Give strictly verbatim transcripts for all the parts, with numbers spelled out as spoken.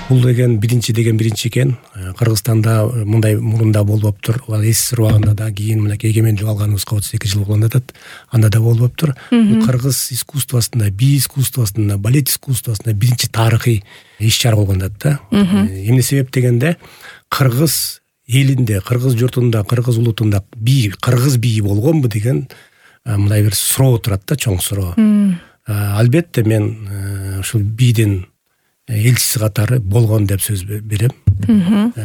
Бул деген биринчи деген биринчи экен. Кыргызстанда мындай мурунда болуптур. СССР убагында да, кийин мынакей эгемендик алганыбызга отуз эки жыл болгон атат. Анда да болуптур. Бул кыргыз искусствосунда, би искусствосунда, балет искусствосунда биринчи тарыхый иш-чара болгон атат да. Эмне себеп дегенде, кыргыз элинде, кыргыз журтунда, кыргыз улутунда би, кыргыз бийи болгонбу деген мындай бир суроо турат да, чоң суроо. Албетте мен ушул бийдин элчиси катары болгон деп сөз берем.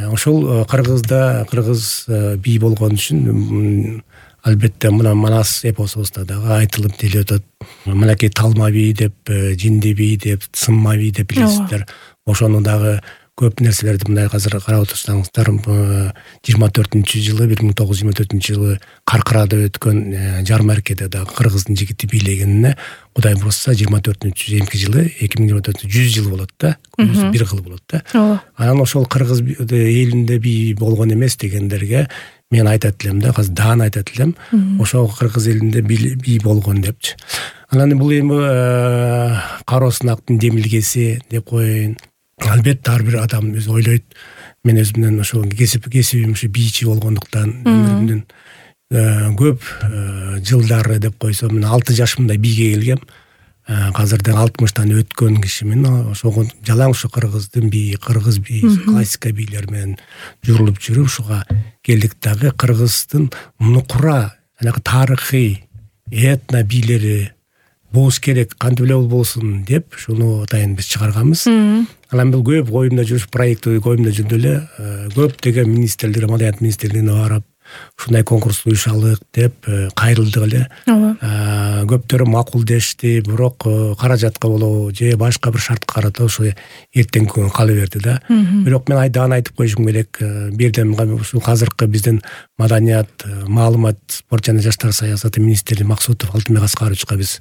Ошол Кыргызда кыргыз бий болгон үчүн албетте мына Манас эпосубузда дагы айтылып деле өтөт. Мынакей Талма бий деп, Жинди бий деп, Сымма бий деп билесиздер. Ошону дагы көп нерселерди мындай азыр карап отурсаңыздар, жыйырма төртүнчү жылы, бир миң тогуз жүз жыйырма төртүнчү жылы Каркырада өткөн жармаркеде дагы кыргыздын жигити бийлегенине Кудай бурса жыйырма төртүнчү жыйырма экинчи жылы, эки миң жыйырма төртүнчү жүз жыл болот да. Бир кыл болот да. Анан ошол кыргыз элинде бий болгон эмес дегендерге мен айтат элем да, азыр даана айтат элем. Ошол кыргыз элинде бий болгон депчи. Анан бул эми Кароо Сынактын демилгеси деп коеюн. Албетте ар бир адам өзү ойлойт. Мен өзүмдөн ошол кесип кесибим ушу бийчи болгондуктан өмүрүмдүн көп жылдары деп койсом, мен алты жашымда бийге келгем. Азырдан алтымыштан өткөн кишимин. Ошого жалаң ушу кыргыздын бийи, кыргыз бийи, классика бийлер менен жүрүлүп жүрүп ушуга келдик дагы. Кыргыздын нукура, анакы тарыхый этно бийлери болуш керек, кантип эле болбосун деп шуну атайын биз чыгарганбыз. Анан бул көп коюмда жүрүш проекти коюмда жүрдү эле. Көптөгөн министрлер, маданият министрлигине барып, ушундай конкурс уюшалык деп кайрылдык эле. Көптөрү макулдешти, бирок каражатка болобу же башка бир шартка карата ошо эртеңки күнгө кала берди да. Бирок мен айдан айтып коюшум керек, бирден ушул азыркы биздин маданият, маалымат, спорт жана жаштар саясаты министри Максутов Алтынбек Аскаровичка биз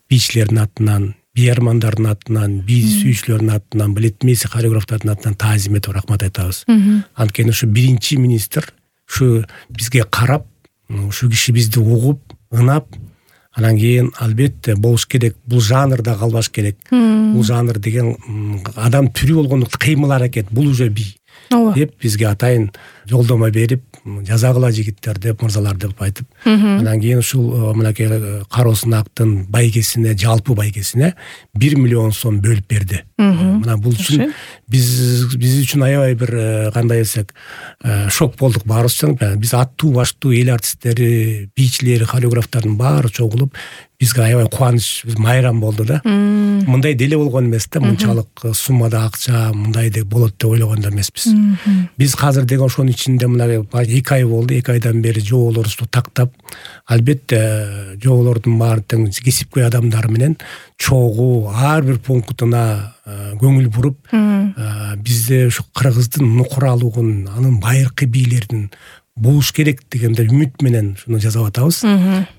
бийчилердин атынан, бий армандардын атынан, бий сүйүүчүлөрдүн атынан, балетмейстер, хореографтардын атынан таазим этип рахмат айтабыз. Анткени ушу биринчи министр ушу бизге карап, ушу киши бизди угуп, ынап, анан кийин албетте болуш керек, бул жанрда калбаш керек. Бул жанр деген адам түрү болгондуктан кыймыл аракет, бул уже бий деп бизге атайын жолдомо берип, жазагыла жигиттер деп, мырзалар деп айтып, анан кийин ушул мынакей Кароо Сынактын байгесине, жалпы байгесине бир миллион сом бөлүп берди. Мына бул үчүн биз биз үчүн аябай бир кандай десек шок болдук баарыбыз. Биз аттуу баштуу эл артисттери, бийчилери, хореографтардын баары чогулуп бизге аябай кубаныч, биз майрам болду да. Мындай деле болгон эмес да, мынчалык суммада акча мындай деп болот деп ойлогон да эмеспиз. Биз азыр деген ошонун ичинде мына эки ай болду, эки айдан бери жоболорубузду тактап, албетте жоболордун баары тең кесипкөй адамдар менен чогуу ар бир пунктуна көңүл буруп, бизде ушу кыргыздын нукуралыгын, анын байыркы бийлердин болуш керек дегенде үмүт менен шуну жасап атабыз.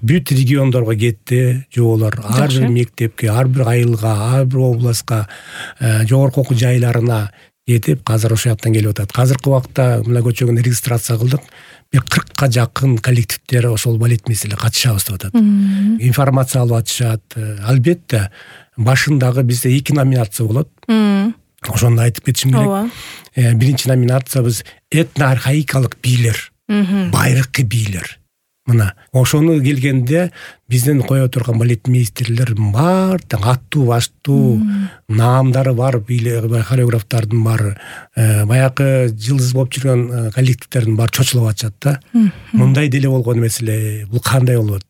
Бүт региондорго кетти жоболор, ар бир мектепке, ар бир айылга, ар бир областка, жогорку окуу жайларына кетип, азыр ошол жактан келип атат. Азыркы убакта мына көчөгүн регистрация кылдык. Бир кыркка жакын коллективдер ошол балетмейстерлер катышабыз деп атат. Информация алып атышат. Албетте башындагы бизде эки номинация болот. Ошону айтып кетишим керек. Биринчи номинация биз этно-архаикалык бийлер, байыркы бийлер. Мына ошону келгенде биздин кое турган балетмейстерлер бар, аттуу баштуу наамдары бар бийлер, хореографтардын бар, баягы жылдыз болуп жүргөн коллективдердин бар чочулуп атышат да. Мындай деле болгон эмес эле, бул кандай болот?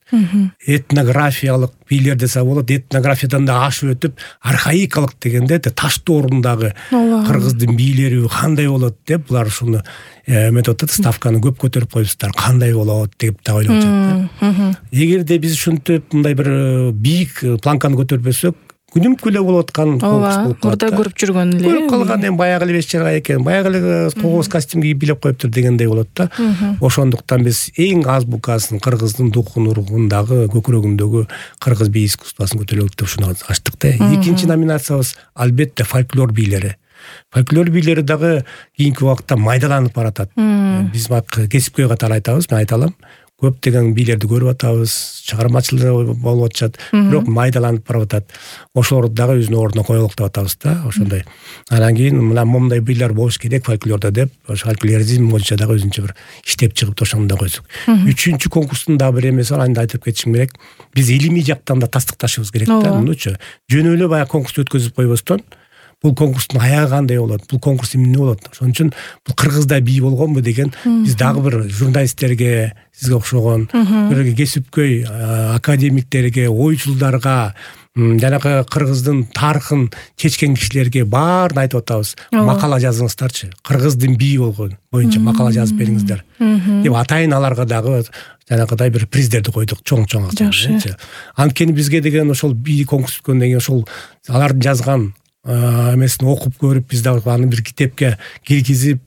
Этнографиялык бийлер десе болот, этнографиядан да ашып өтүп, архаикалык дегенде таштуу орундагы кыргыздын бийлери кандай болот деп булар ушуну методдот ставканы көп көтөрүп коюпсуздар, кандай болот деп да ойлоп жатат. Эгерде биз ушинтип мындай бир бийик планканы көтөрбөсөк, күнүмкү эле болуп аткан конкурс болуп калат. Мурда көрүп жүргөн эле. Көрүп калган эми баягы эле беш чыргай экен, баягы эле когоз костюм кийип билеп коюптур дегендей болот да. Ошондуктан биз эң азбукасын, кыргыздын духун, ургундагы, көкүрөгүндөгү кыргыз бий искусствосын көтөрөлүк деп ушуну ачтык да. Экинчи номинациябыз албетте фольклор бийлери. Фольклор бийлери дагы кийинки убакта майдаланып баратат. Биз кесипкөй катары айтабыз, мен айта алам. көптөгөн бийлерди көрүп атабыз, чыгармачылык болуп атышат, бирок майдаланып барып атат. Ошолорду дагы өзүнүн ордуна коелук деп атабыз да, ошондой. Анан кийин мына момундай бийлер болуш керек фольклордо деп, ошо фольклоризм боюнча дагы өзүнчө бир иштеп чыгып ошону да койсук. Үчүнчү конкурстун дагы бир эмеси бар, аны да айтып кетишим керек. Биз илимий жактан да тастыкташыбыз керек да. Мынучу жөн эле баягы конкурс өткөзүп койбостон, бул конкурстун аягы кандай болот, бул конкурс эмне болот, ошон үчүн бул кыргызда бий болгонбу деген биз дагы бир журналисттерге, сизге окшогон бир кесипкөй академиктерге, ойчулдарга, жанагы кыргыздын тарыхын чечкен кишилерге баарын айтып атабыз. Макала жазыңыздарчы, кыргыздын бийи болгон боюнча макала жазып бериңиздер деп атайын аларга дагы жанагыдай бир приздерди койдук, чоң-чоң акча. Анткени бизге деген ошол бий конкурс өткөндөн кийин ошол алардын жазган эмесин окуп көрүп, биз дагы аны бир китепке киргизип,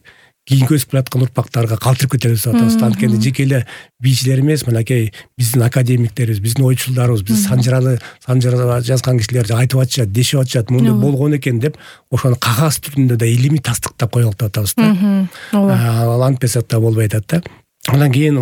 кийинки өсүп келаткан урпактарга калтырып кетебиз деп атабыз. Анткени жеке эле бийчилер эмес, мынакей биздин академиктерибиз, биздин ойчулдарыбыз, биз санжыраны санжыра жазган кишилер айтып атышат, дешип атышат, мындай болгон экен деп, ошону кагаз түрүндө да илимий тастыктап коелук деп атабыз да. Ал антпесак да болбой атат да. Анан кийин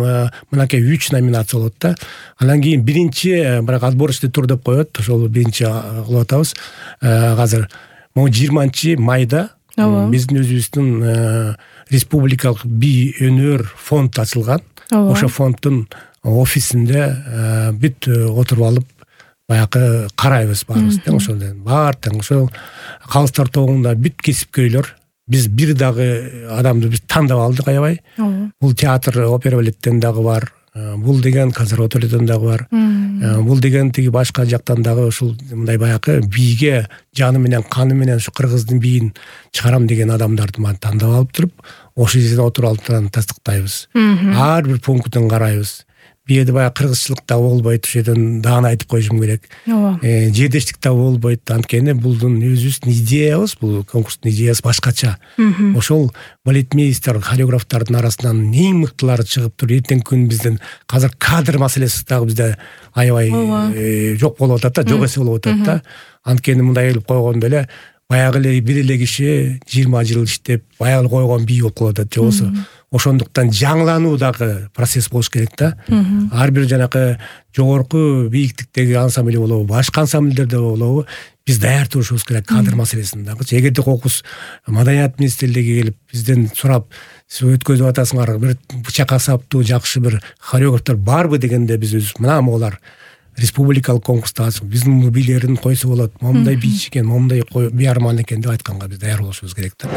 мынакей үч номинация болот да. Анан кийин биринчи, бирок отборочный тур деп коет, ошол биринчи кылып атабыз. Азыр могу жыйырманчы майда биздин өзүбүздүн республикалык бий өнөр фонд ачылган. Ошо фонддун офисинде бүт отуруп алып, баягы карайбыз баарыбыз тең ошол баар тең ошол калыстар тобунда бүт кесипкөйлөр. Биз бир дагы адамды биз тандап алдык аябай. Бул театр, опера балеттен дагы бар. Бул деген консерваториядан дагы бар. Бул деген тиги башка жактан дагы ушул мындай баягы бийге жаны менен, каны менен ушу кыргыздын бийин чыгарам деген адамдарды тандап алып туруп, ошол жерде отуруп алып тастыктайбыз. Ар бир пунктун карайбыз. Бияда баягы кыргызчылык да болбойт, ошол жерден дааны айтып коюшум керек. Жердештик да болбойт. Анткени булдун өзүбүздүн идеябыз, бул конкурстун идеясы башкача. Ошол балетмейстер, хореографтардын арасынан эң мыктылары чыгып туруп, эртеңки күн биздин азыр кадр маселеси дагы бизде аябай жок болуп атат да, жок эсе болуп атат да. Анткени мындай элеп койгондо эле баягы эле бир эле киши жыйырма жыл иштеп, баягы койгон бий болуп калып атат. Жобосу ошондуктан жаңылануу дагы процесс болуш керек да. Ар бир жанакы жогорку бийиктиктеги ансамбль болобу, башка ансамбльдерде болобу, биз даяр турушубуз керек кадр маселесин дагы. Эгерде кокус маданият министрлиги келип бизден сурап, сиз өткөзүп атасыңар, бир бычак асаптуу жакшы бир хореографтар барбы дегенде биз өзүбүз мына могулар республикалык конкурста биздин бийлерин койсо болот, момундай бийчи экен, момундай бий арман экен деп айтканга биз даяр болушубуз керек да.